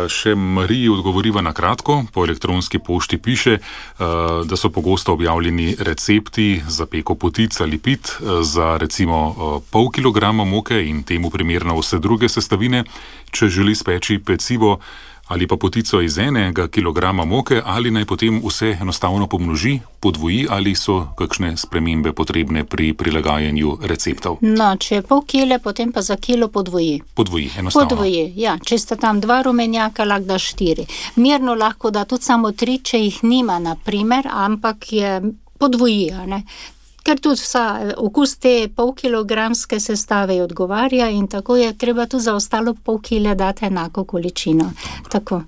Še Mariji odgovoriva na kratko, po elektronski pošti piše, da so pogosto objavljeni recepti za peko potic ali pit za recimo pol kilograma moke in temu primerno vse druge sestavine. Če želi speči pecivo ali pa potico iz 1 kilograma moke, ali naj potem vse enostavno pomnoži, podvoji, ali so kakšne spremembe potrebne pri prilagajanju receptov? No, če je pol kile, potem pa za kilo podvoji. Podvoji, enostavno. Podvoji, ja. Če sta tam 2 rumenjaka, lahko da 4. Mirno lahko da tudi samo 3, če jih nima, na primer, ampak je podvoji, ne. Ker tudi okus te polkilogramske sestave odgovarja in tako je treba tudi za ostalo pol kile dati enako količino. Tako.